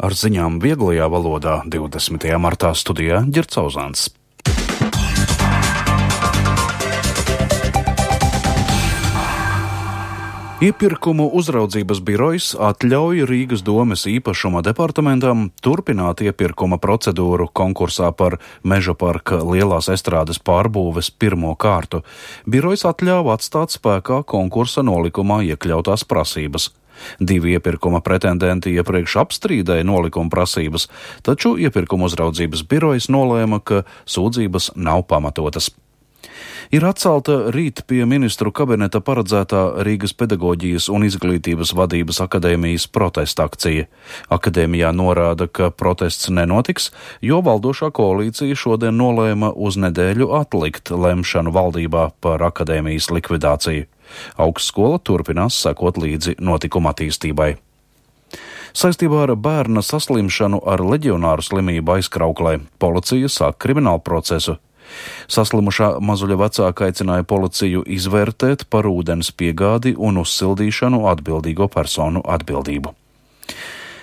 Ar ziņām vieglajā valodā 20. martā studijā Ģercauzāns. Iepirkumu uzraudzības birojs atļauj Rīgas domes īpašuma departamentam turpināt iepirkuma procedūru konkursā par Meža parka lielās estrādes pārbūves pirmo kārtu. Birojs atļāva atstāt spēkā konkursa nolikumā iekļautās prasības. 2 iepirkuma pretendenti iepriekš apstrīdēja nolikuma prasības, taču iepirkuma uzraudzības birojs nolēma, ka sūdzības nav pamatotas. Ir atcelta rīt pie ministru kabineta paredzētā Rīgas pedagoģijas un izglītības vadības akadēmijas protesta akcija. Akadēmijā norāda, ka protests nenotiks, jo valdošā koalīcija šodien nolēma uz nedēļu atlikt lemšanu valdībā par akadēmijas likvidāciju. Augstskola turpinās sekot līdzi notikuma attīstībai. Saistībā ar bērna saslimšanu ar leģionāru slimību aizkrauklē policija sāk kriminālu procesu. Saslimušā mazuļa vecāka aicināja policiju izvērtēt par ūdens piegādi un uzsildīšanu atbildīgo personu atbildību.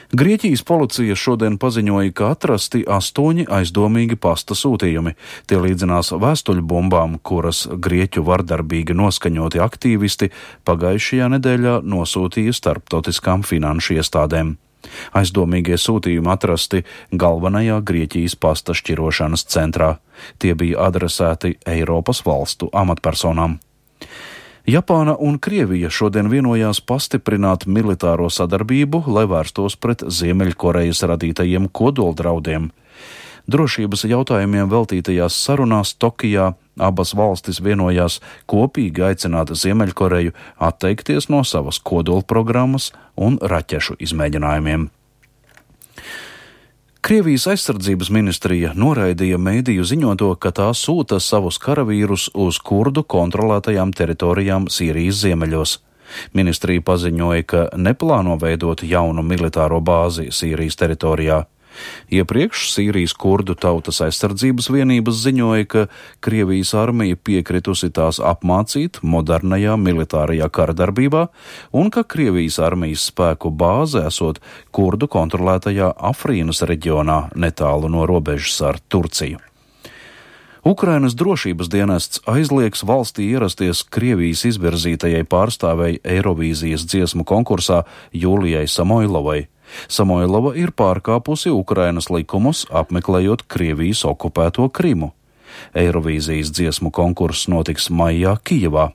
Grieķijas policija šodien paziņoja, ka atrasti 8 aizdomīgi pasta sūtījumi. Tie līdzinās vēstuļbumbām, kuras grieķu vardarbīgi noskaņoti aktīvisti pagājušajā nedēļā nosūtīja starptautiskām finanšu iestādēm. Aizdomīgie sūtījumi atrasti galvenajā Grieķijas pasta šķirošanas centrā. Tie bija adresēti Eiropas valstu amatpersonām. Japāna un Krievija šodien vienojās pastiprināt militāro sadarbību, lai vērstos pret Ziemeļkorejas radītajiem kodoldraudiem. Drošības jautājumiem veltītajās sarunās Tokijā abas valstis vienojās kopīgi aicināt Ziemeļkoreju atteikties no savas kodolprogrammas un raķešu izmēģinājumiem. Krievijas aizsardzības ministrija noraidīja mediju ziņoto, ka tā sūta savus karavīrus uz kurdu kontrolētajām teritorijām Sīrijas ziemeļos. Ministrija paziņoja, ka neplāno veidot jaunu militāro bāzi Sīrijas teritorijā. Iepriekš Sīrijas kurdu tautas aizsardzības vienības ziņoja, ka Krievijas armija piekritusi tās apmācīt modernajā militārajā kara darbībā un ka Krievijas armijas spēku bāze esot kurdu kontrolētajā Afrinas reģionā netālu no robežas ar Turciju. Ukrainas drošības dienests aizliegs valstī ierasties Krievijas izvirzītajai pārstāvei Eirovīzijas dziesmu konkursā Jūlijai Samoilovai. Samoilova ir pārkāpusi Ukrainas likumus, apmeklējot Krievijas okupēto Krimu. Eirovīzijas dziesmu konkurss notiks maijā Kijevā.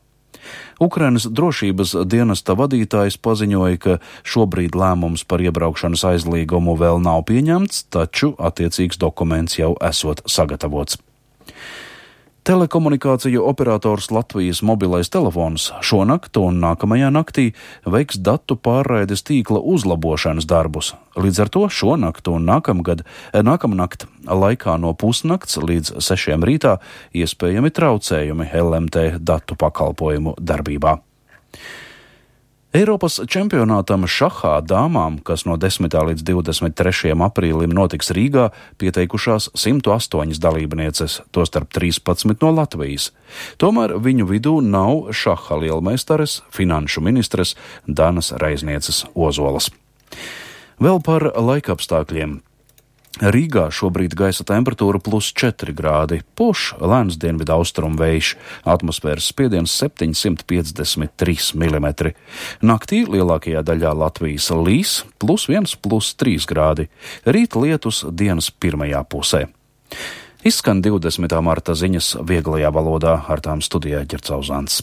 Ukrainas drošības dienesta vadītājs paziņoja, ka šobrīd lēmums par iebraukšanas aizliegumu vēl nav pieņemts, taču attiecīgs dokuments jau esot sagatavots. Telekomunikāciju operators Latvijas mobilais telefons šonakt un nākamajā naktī veiks datu pārraides tīkla uzlabošanas darbus. Līdz ar to šonakt un nākamnakt laikā no pusnakts līdz 6 rītā iespējami traucējumi LMT datu pakalpojumu darbībā. Eiropas čempionātam šahā dāmām, kas no 10. līdz 23. aprīlim notiks Rīgā, pieteikušās 108 dalībnieces, tostarp 13 no Latvijas. Tomēr viņu vidū nav šaha lielmeistares, finanšu ministres Danas Reiznieces Ozolas. Vēl par laikapstākļiem. Rīgā šobrīd gaisa temperatūra +4 grādi, puš lēns dienvidu austrumu vējš, atmosfēras spiediens 753 mm. Naktī lielākajā daļā Latvijas līs +1, +3 grādi, rīt lietus dienas pirmajā pusē. Izskan 20. marta ziņas vieglajā valodā, ar tām studijā Ģercauzāns.